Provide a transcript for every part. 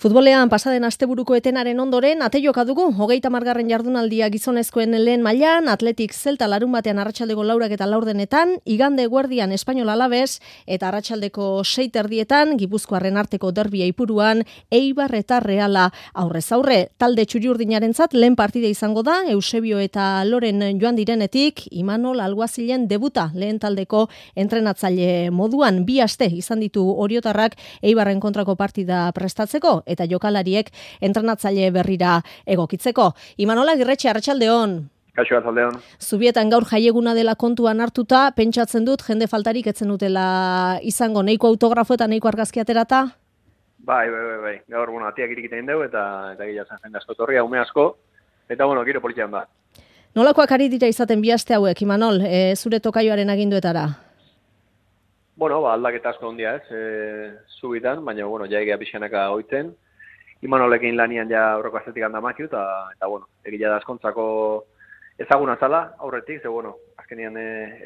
Futbolean pasaden asteburuko etenaren ondoren ate joka dugu 30. jardunaldia gizonezkoen lehen mailan, Athletic Celta larunbatean arratsaldeko 4 eta 4 igande eguerdian Espainol Alabes eta arratsaldeko 6 Gipuzkoarren arteko derbia Ipuruan Eibar eta Reala aurrez aurre. Talde txuri-urdinarentzat lehen partida izango da Eusebio eta Loren joan direnetik Imanol Alguazilen debuta lehen taldeko entrenatzaile moduan. 2 aste izan ditu oriotarrak Eibarren kontrako partida prestatzeko eta jokalariek entrenatzaile berrira egokitzeko. Imanola Agirretxe, arratsaldeon. Kaixo, arratsaldeon. Zubietan gaur jaieguna dela kontuan hartuta, pentsatzen dut jende faltarik etzen dutela izango, nahiko autografo eta nahiko argazki aterata? Bai. Gaur, atiak irikiten dugu eta gila zen jende asko torria, ume asko, eta giro politian da. Nolakoak ari dira izaten 2 aste hauek, Imanol, zure tokaioaren aginduetara? Aldaketa asko ondia zubitan, baina, jaigea pixanaka oitzen. Imanolekin lanian ja aurreko astetik handa makiu, eta egila da askontzako ezaguna zala, aurretik, azkenean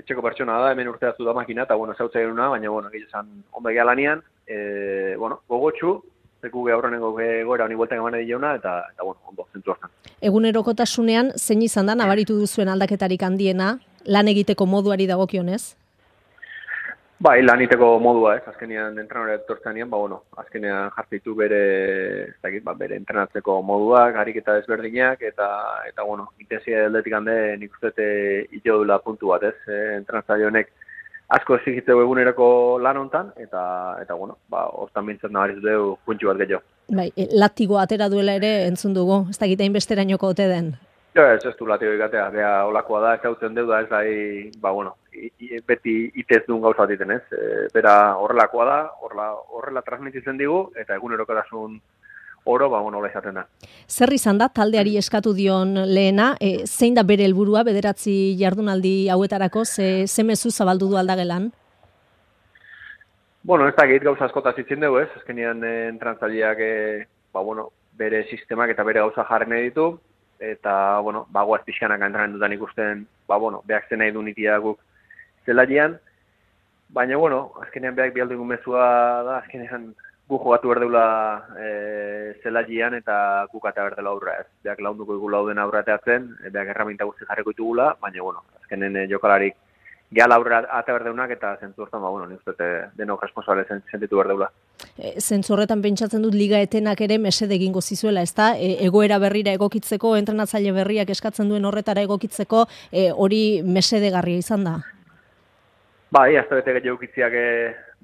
etxeko pertsona da, hemen urteatu da makina, eta, zautza genuna, baina, egila zan ondo egia lanian, gogotxu, zeku aurrenengo goera honi bueltan emane dileuna, eta ondo, zentzu hartan. Egunerokotasunean, zein izan da, nabaritu duzuen aldaketarik handiena, lan egiteko moduari dagokionez? Bai, lan egiteko modua, azkenean entrenore etortzenean, azkenean jartzeitu bere entrenatzeko moduak, ariketa desberdinak, eta intensia aldetik hande nik uste ito dula puntu bat, entrenatzaile honek asko exigitzeu egunerako lan hontan, eta hortan bintzat nabarizu dugu puntxu bat gehiago. Bai, latigo atera duela ere entzun dugu, ez da gitain besterainoko ote den? Ez du latigo ikatea, beha olakoa da, ez hautzen deu da, ez da, beti itez duen gauza bat iten, bera horrelakoa da, horrela transmititzen digu, eta egunerokotasun oro, hola izaten da. Zer izan da, taldeari eskatu dion lehena, zein da bere helburua, 9 jardunaldi hauetarako, ze mezu zabaldu du aldagelan? Ez da gehit gauza askotaz itzen dugu, azkenean entrantzaileak bere sistemak eta bere gauza jarren ditu, eta, goaz pixkanak entrenan dutan ikusten, behak zen nahi du nitia guk zelaian, baina, azkenean behak bialdu egun mezua da, azkenean gu jogatu berdeula zelaian eta guk ata berdela aurra ez. Behak launduko dugu lauden aurrateatzen, behak erraminta guzti jarriko ditugula, baina, azkenen jokalarik gehala aurra ata berdeunak eta zentzu hortan, nik uste denok responsable sentitu berdeula. Zentzu horretan pentsatzen dut liga etenak ere mesede egingo zizuela, ezta? Egoera berrira egokitzeko, entrenatzaile berriak eskatzen duen horretara egokitzeko, hori mesedegarria izan da? Bai, azte bete gehiago ukitziak,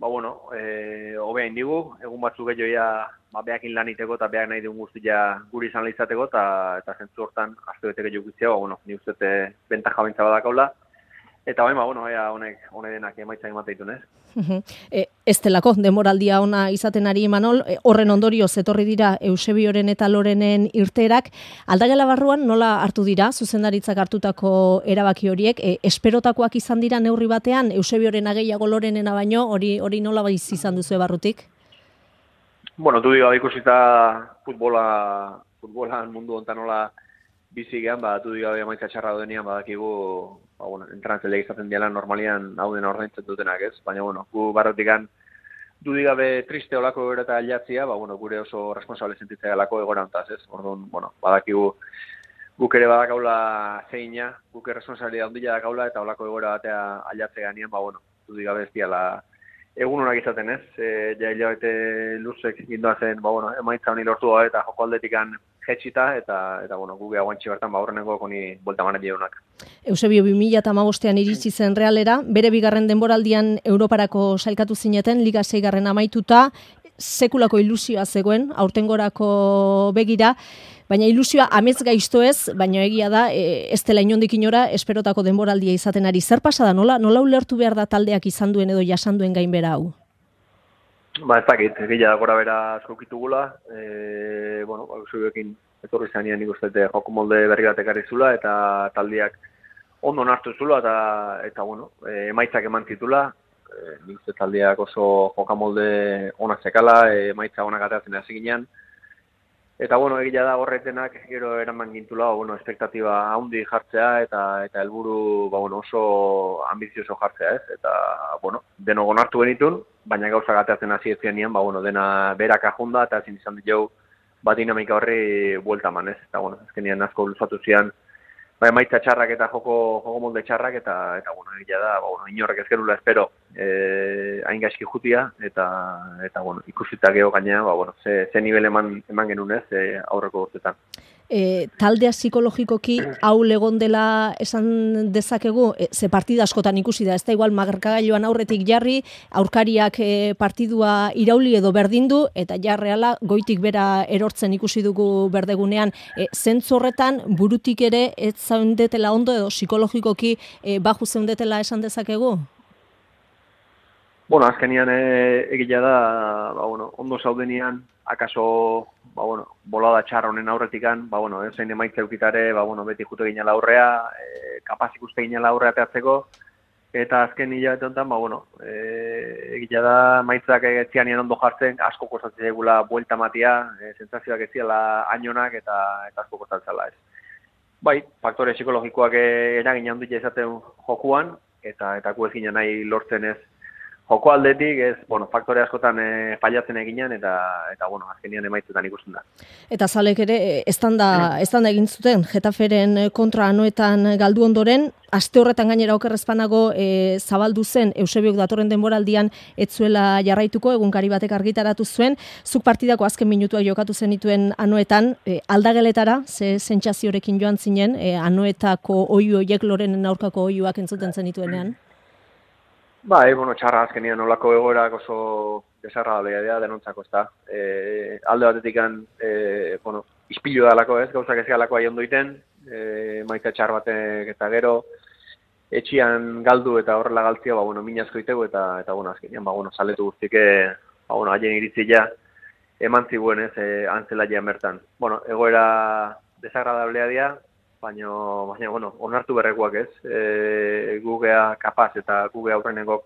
hobea indigu, egun batzu gehiagoia behakin lan iteko eta behak nahi duen guztia guri izan lehizateko, eta zentzu hortan azte bete gehiago ukitziak, ni uste bentaja bintza badakaula. Eta honek denak emaitza emateitun, Ez delako, demoraldia ona izaten ari Imanol, horren ondorioz etorri dira Eusebioren eta Lorenen irteerak. Aldagela barruan nola hartu dira, zuzendaritzak hartutako erabaki horiek, esperotakoak izan dira neurri batean, Eusebioren gehiago Lorenena baino, hori nola baiz izan duzu barrutik? Du diga ikusita futbolan mundu ontan nola bizi gehan, du diga emaitza txarra denean badakigu, entrenatzaile izaten diala normalian hau dena ordaintzen dutenak, ez? Baina, gu barrotikan dudik gabe triste olako egora eta aldatzia, gure oso responsable sentitzea galako egora ontaz, ez? Orduan, badakigu guk ere badakaula zeina, guk responsabilidad ondila dakaula eta olako egora batea aldatzea ganean, dudik gabe ez diala egun honak izaten, ez? Hilabete luzek gindoazen, emaitza honi lortu da eta joko aldetikan jetxita, eta guge aguantxe bertan, horreneko koni bolta manet jaunak. Eusebio 2015an iritsi zen Realera, bere bigarren denboraldian Europarako sailkatu zineten, Liga 6 amaituta, sekulako ilusioa zegoen, aurtengorako begira, baina ilusioa amets gaizto ez, baina egia da, ez dela inondik inora, esperotako denboraldia izaten ari. Zer pasada, nola ulertu behar da taldeak izan duen edo jasan duen gainbera hau? Ez dakit, gila gora bera asko kitugula, Eusebioekin etorri zanean nik uste joko molde berri bat ekarri zula, eta taldeak ondo nartu zula, eta emaitzak eman zitula, nik uste taldeak oso jokamolde onak zekala, emaitza onak ateratzen hasi ginean, eta egia da horretenak gero eraman gintula, espektatiba haundi jartzea, eta helburu oso ambizioso jartzea, ez? Eta, denok onartu genitun, baina gauza gateatzen hasi ezkenean, dena berak ajunda eta ezin izan ditu dinamika horri buelta eman, ez? Eta azkenean asko luzatu zian, emaitza txarrak eta joko molde txarrak eta egia da, inorrek ez gerula espero hain gaizki jutia eta ikusita geho gaina, ze nivel eman genuen ez aurreko urtetan. Taldea psikologikoki hau egon dela esan dezakegu, ze partida askotan ikusi da, ez da igual markagailuan aurretik jarri, aurkariak partidua irauli edo berdindu, eta jarreala goitik bera erortzen ikusi dugu berdegunean. Zentzu horretan burutik ere ez zaundetela ondo edo psikologikoki baju zeundetela esan dezakegu? Azkenian egia da, ondo zaudenian, akaso, bolada txarra honen aurretikan, zein emaitza eukitare, beti jute ginela aurrea, kapaz ikuste ginela aurrea teatzeko, eta azken hilabete honetan, egia da, maitzak etzianien ondo jartzen, asko kostatzen egula buelta matia, sentsazioak ez ziala ainonak eta asko kostatzela ez. Faktore psikologikoak eragin handia izaten jokuan, eta gu ez ginen nahi lortzen ez, joko aldetik, faktore askotan fallatzen eginean, eta azkenian emaitzetan ikusten da. Eta zalek ere, estanda egin zuten, Getaferen kontra anoetan galdu ondoren, aste horretan gainera okerrezpanago zabaldu zen, Eusebiok datorren denboraldian ez zuela jarraituko, egunkari batek argitaratu zuen, zuk partidako azken minutuak jokatu zenituen anoetan, aldageletara, ze sentsaziorekin joan zinen, anoetako oihu oiek Lorenen aurkako oihuak entzuten zenituenean? Txarra azkenian olako egoerak oso desagradableak dira denontzako, ezta. Alde batetik ispilu dalako ez, gauzak ez galako ahi ondoiten, maitza txar batek eta gero, etxian galdu eta horrela galtzia, min asko itegu eta azkenian, saletu guztik, haien iritzia eman ziguen ez, antzelaia bertan. Egoera desagradablea dira, baina onartu berrekoak ez, gugea kapaz eta gugea aurrenengok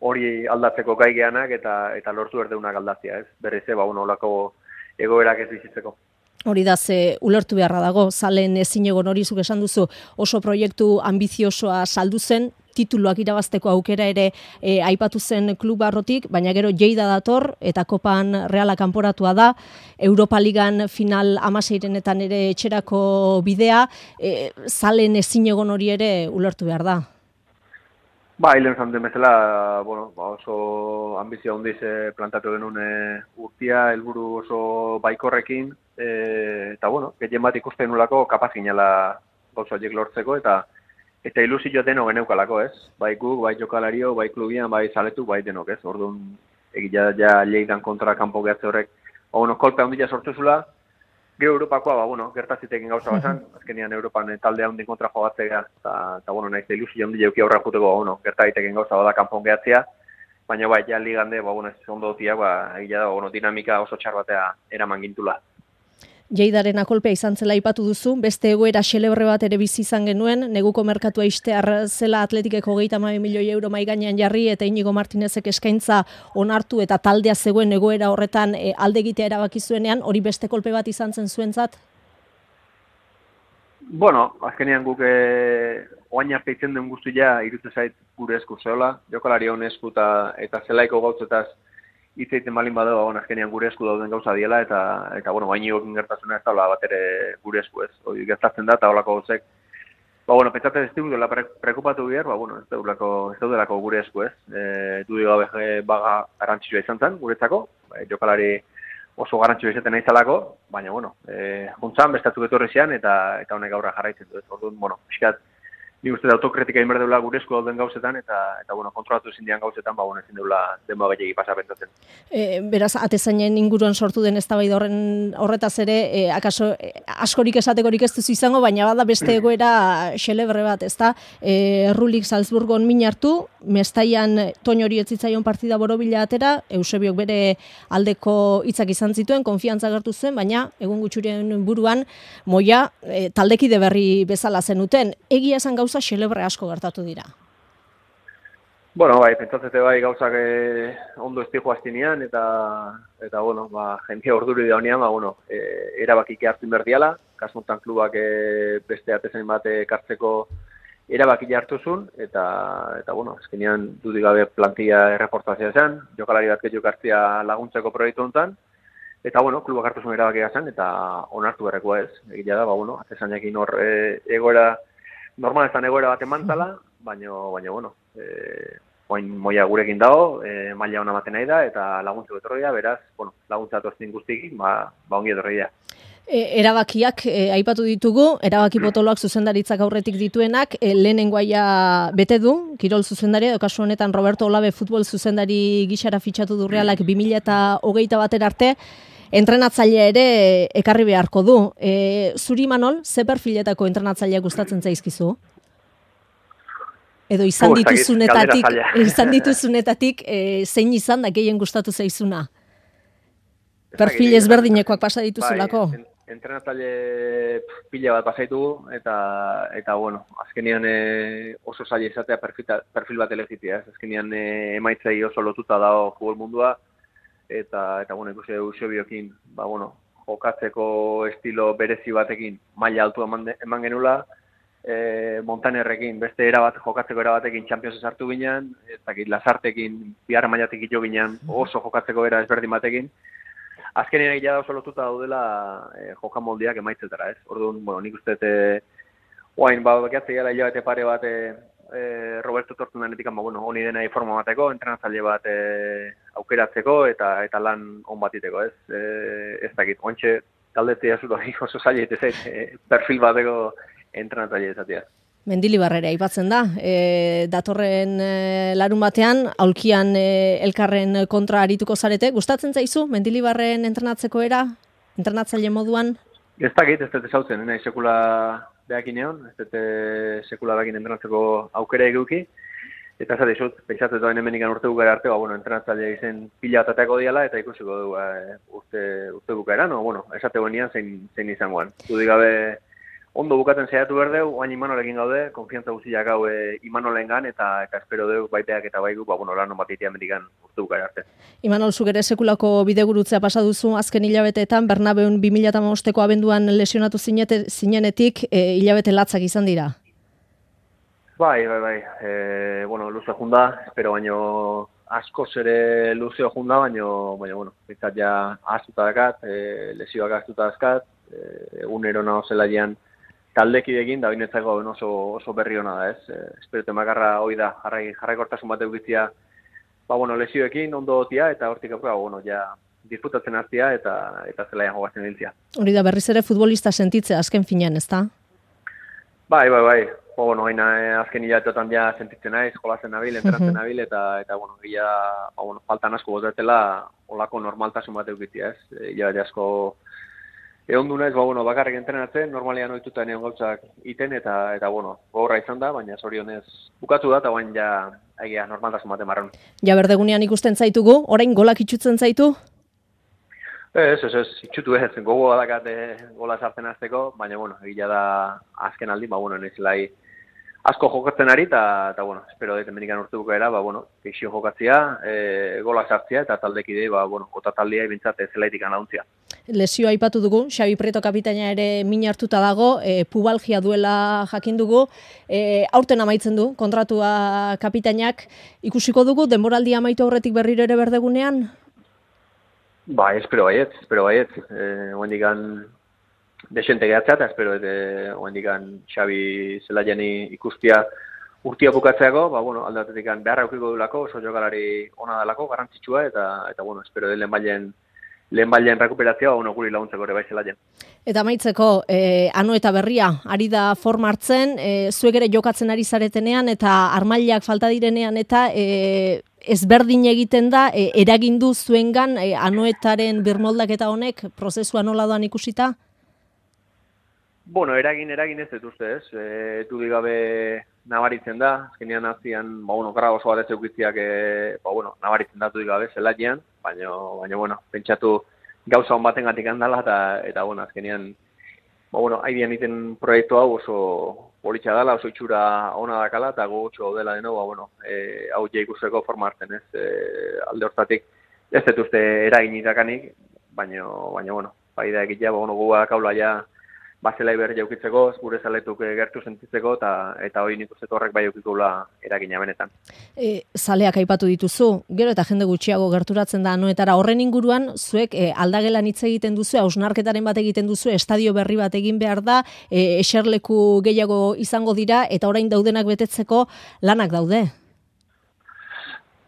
hori aldatzeko gai geanak eta lortu berdeunak aldatzea ez, berriz olako egoerak ez bizitzeko. Hori da, ze ulertu beharra dago, zalen ezin egon hori zuk esan duzu, oso proiektu ambiziosoa saldu zen, tituluak irabazteko aukera ere aipatu zen klub barrotik, baina gero Lleida dator eta Kopan Reala kanporatua da, Europa Ligan final 16etan ere etxerako bidea, zalen ezin egon hori ere ulertu behar da. Hilen zanten bezala, oso ambizio handiz plantatu genuen urtia, helburu oso baikorrekin, eta gehien bat ikusten nolako kapaz ginela gauza horiek lortzeko, eta ilusio denok geneukalako ez, bai guk, bai jokalario, bai klubian, bai zaletu, bai denok ez, orduan egia ja Lleidan kontra kanpo gehatze horrek, kolpe handia sortu zula, gero Europakoa, gertazitekin gauza bazan, azkenian Europan talde handin kontra jogatzea, eta nahiz ilusio handia euki aurra juteko, gertazitekin gauza bada kanpon gehatzea, baina ja ligande, ez ondo dutia, egia da, dinamika oso txar batea eraman gintula. Lleidaren akolpea izan zela aipatu duzu, beste egoera xelebre bat ere bizi izan genuen, neguko merkatua ixtear zela Atletikeko 32 milioi euro mahai gainean jarri eta Inigo Martinezek eskaintza onartu eta taldea zegoen egoera horretan alde egitea erabaki zuenean, hori beste kolpe bat izan zen zuentzat? Azkenean guk oain arte itzen den guztia irutzen zait gure esku zeola, jokalari hon esku eta zelaiko gautzetaz hitz egiten balin badago, azkenean gure esku dauden gauza diela, eta Inigokin gertasuna ez daula bat ere gure esku ez. Hori gertatzen da, eta holako gauzek. Pentsatzen ez dela prekupatu behar, ez daudelako gure esku ez. Dudik gabe baga garrantzitsua izan zen, guretzako, jokalari oso garrantzitsua izaten nahi zalako, baina, juntzan, bestatzuk etorri zian, eta honek gaurra jarraitzen du ez. Orduan, pixkat, ni uste da autokritika inber deula gure esku dauden gauzetan, eta kontrolatu ezin dian gauzetan, ezin deula denboa gehiagi pasa pentsatzen. Beraz, atezainen inguruan sortu den eztabaida horretaz ere, akaso askorik esatekorik ez duzu izango, baina bada beste egoera xelebre bat, ezta? Errulik Salzburgon min hartu, Mestaian Toño hori ez zitzaion partida borobila atera, Eusebiok bere aldeko hitzak izan zituen, konfiantza agertu zuen, baina egun gutxurien buruan moia taldekide berri bezala zenuten. Egia esan gauza xelebre asko gertatu dira. Pentsatzete gauzak ondo ez dijo aztinean, eta jende orduri da honean, erabakik hartzen berdiala, kasmontan klubak beste atezain bat kartzeko erabaki hartu zuen, eta bueno, azkenean dudik gabe plantilla erreportazioa zen, jokalari bat gehiago hartzia laguntzeko proiektu honetan, eta bueno, klubak hartu zuen erabakia zen, eta onartu berrekoa ez. Egia da, bueno, atezanekin hor egoera, normalezan egoera bat emantzala, baina bueno, oin moia gurekin dago, maila ona ematen nahi da, eta laguntzeko etorria, beraz, bueno, laguntza atortzen guztikin, ongi etorria. Erabakiak aipatu ditugu, erabaki potoloak zuzendaritzak aurretik dituenak, lehenengoaia bete du, kirol zuzendaria, edo kasu honetan Roberto Olabe futbol zuzendari gixara fitxatu du Realak 2021 arte, entrenatzailea ere ekarri beharko du. Zuri Manol, ze perfiletako entrenatzailea gustatzen zaizkizu? Edo izan dituzunetatik zein izan da gehien gustatu zaizuna? Perfil ezberdinekoak pasa dituzulako? Entrenatzaile pila bat pasaitu eta bueno, azkenean oso zaila izatea perfil bat elegitia, ez? Azkenean emaitzei oso lotuta dago futbol mundua eta bueno, ikusi Eusebiokin, bueno, jokatzeko estilo berezi batekin maila altua eman genula, Montanerrekin beste jokatzeko era batekin Champions sartu ginean, Lasartekin bigarren mailatik jo ginean oso jokatzeko era ezberdin batekin. Azkenean egia da oso lotuta daudela jokamoldiak emaitzetara, ez? Orduan, bueno, nik uste oain, bakiatzea gala hilabete pare bat Roberto Tortunanetik, bueno, honi dena forma bateko, entrenatzaile bat aukeratzeko eta lan on batiteko, ez? Ez dakit, ointxe taldetzea zut hori oso zaila perfil bateko entrenatzaile izatea. Mendilibarrera aipatzen da. Datorren larun batean, aulkian elkarren kontra arituko zarete. Gustatzen zaizu, Mendilibarren entrenatzeko era? Entrenatzaile moduan? Ez dakit, ez dut ezautzen, nahi sekula behakin egon, ez dut sekula behakin entrenatzeko aukera eguki. Eta ez dut, pentsatzen duen hemen urte bukara arte, bueno, entrenatzaile izen pila batateako diala, eta ikusiko du urte bukaeran, bueno, esate guenian zein izangoan. Dudik gabe, ondo bukatzen zehatu berdeu, oain Imanolekin gaude, konfiantza guztiak hau Imanolengan, eta espero deu baiteak eta baigu, lan on bat itea medikan urte bukara arte. Imanol, zuk ere sekulako bidegurutzea pasa duzu azken hilabeteetan, Bernabeun 2015ko abenduan lesionatu zinenetik, hilabete latzak izan dira? Bai. Bueno, luze junda, espero baino askoz ere luzeo junda, baino, bueno, bizat ja ahaztuta dakat, lesioak ahaztuta dazkat, egunero naho zelaian taldekidekin, da binetzako oso berri hona da, ez? Espero temakarra hoi da, jarraikortasun bat eukitzia, bueno, lesioekin ondo tia, eta hortik bueno, ja disfrutatzen hartia, eta zelaian jogatzen diltzia. Hori da, berriz ere futbolista sentitzea azken finean, ez da? Bai. Bueno, azken hilabetetan ja sentitzen naiz, jolazen nabil, entrenatzen nabil, eta bueno, faltan asko botetela olako normaltasun bat eukitzia, ez? Hilabete asko egon du naiz, bakarrik entrenatzen, normalean ohituta enean gauzak iten, eta bueno, gogorra izan da, baina zorionez bukatu da, eta bain ja egia normaltasun bat emarron. Ja berdegunean ikusten zaitugu, orain golak itxutzen zaitu? Ez, itxutu ez, gogoa dakat gola sartzen azteko, baina bueno, egia da azken aldi, nezilai asko jokatzen ari, eta bueno, espero dut emenikan urte bukaera, geixio jokatzia, gola sartzia, eta taldekidei, ota taldea ibintzat zelaitik anauntzia. Lesioa aipatu dugu, Xabi Prieto kapitaina ere min hartuta dago, pubalgia duela jakin dugu, aurten amaitzen du kontratua kapitainak, ikusiko dugu, denboraldia amaitu aurretik berriro ere berdegunean? Bai, espero baiet. Oendikan desente gehatzea, eta espero oendikan Xabi zelaiani ikustia urtia bukatzeako, aldatetik beharra eukiko dulako, oso jokalari ona dalako, garrantzitsua, eta bueno, espero lehen bailen rekuperatzea, guri laguntzeko ere bai zelaien. Eta amaitzeko, Ano eta Berria, ari da forma hartzen, zuek ere jokatzen ari zaretenean, eta armailak falta direnean, eta ezberdin egiten da, eragindu zuengan Anoetaren birmoldak eta honek, prozesua nola doan ikusita? Bueno, eragin ez dut uste, ez? Dudik gabe nabaritzen da, azkenean hazian, gara oso bat ez eukitziak, nabaritzen da dudik gabe zelaian, baina, pentsatu gauza hon baten gatik handala, eta azkenean, haidean iten proiektu hau oso politxa dela, oso itxura ona dakala, eta gogotxo dela deno, hau ikusteko forma hartzen, ez? Alde hortatik, ez dut uste eragin idakanik, baina, bai da egitea, guak kaula ja bazelai berri jaukitzeko, gure zaletuk gertu sentitzeko, eta hori nik uste horrek bai jaukikula eragina benetan. Zaleak aipatu dituzu, gero eta jende gutxiago gerturatzen da anoetara, horren inguruan, zuek aldagelan hitz egiten duzu, hausnarketaren bat egiten duzu, estadio berri bat egin behar da, eserleku gehiago izango dira, eta orain daudenak betetzeko lanak daude.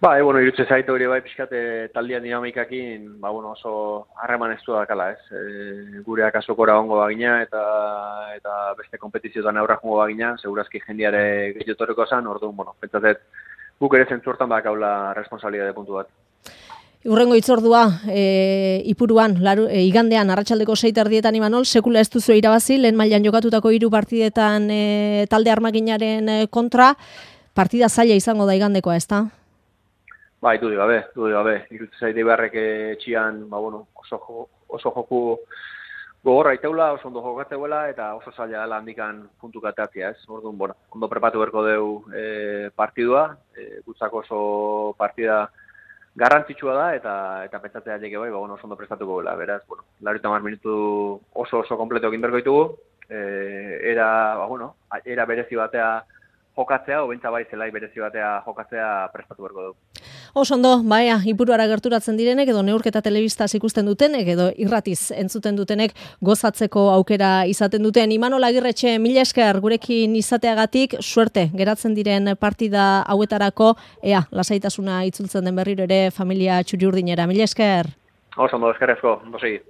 Bueno, irutze zaitu hori bai pixkate taldian dinamikakin, oso harreman ez du dakala, ez? Gureak azokora ongo bagina eta beste kompetizioetan aurra jongo bagina, segurazki jendiare gehiotoreko zan, orduan, pentsatet, guk ere zentzuertan bakaula responsabilidade puntu bat. Urrengo itzordua, Ipuruan, igandean, arratsaldeko 6:00 Imanol, sekula ez duzu irabazi, lehen mailan jokatutako 3 partidetan talde armaginaren kontra, partida zaila izango da igandekoa, ezta? Bai, dudik gabe. Irutze zaite beharrek etxian, oso joku gogorra iteula, oso ondo jokatzeuela, eta oso zaila dela handikan puntu katatzea, ez? Orduan, ondo prepatu berko deu partidua, gutzako oso partida garrantzitsua da, eta pentsatzea jeke bai, oso ondo prestatuko gela, beraz, 90 minutu oso kompleto egin berko ditugu, era berezi batea jokatzea, obentza bai zelai berezi batea jokatzea prestatu berko dugu. Oso ondo, Ipuruara gerturatzen direnek, edo neurketa telebistaz ikusten dutenek, edo irratiz entzuten dutenek gozatzeko aukera izaten duten. Imanol Agirretxe, mila esker gurekin izateagatik, suerte geratzen diren partida hauetarako, lasaitasuna itzultzen den berriro ere familia txuri-urdinera. Mila esker. Oso ondo, eskerrezko, ondo segi.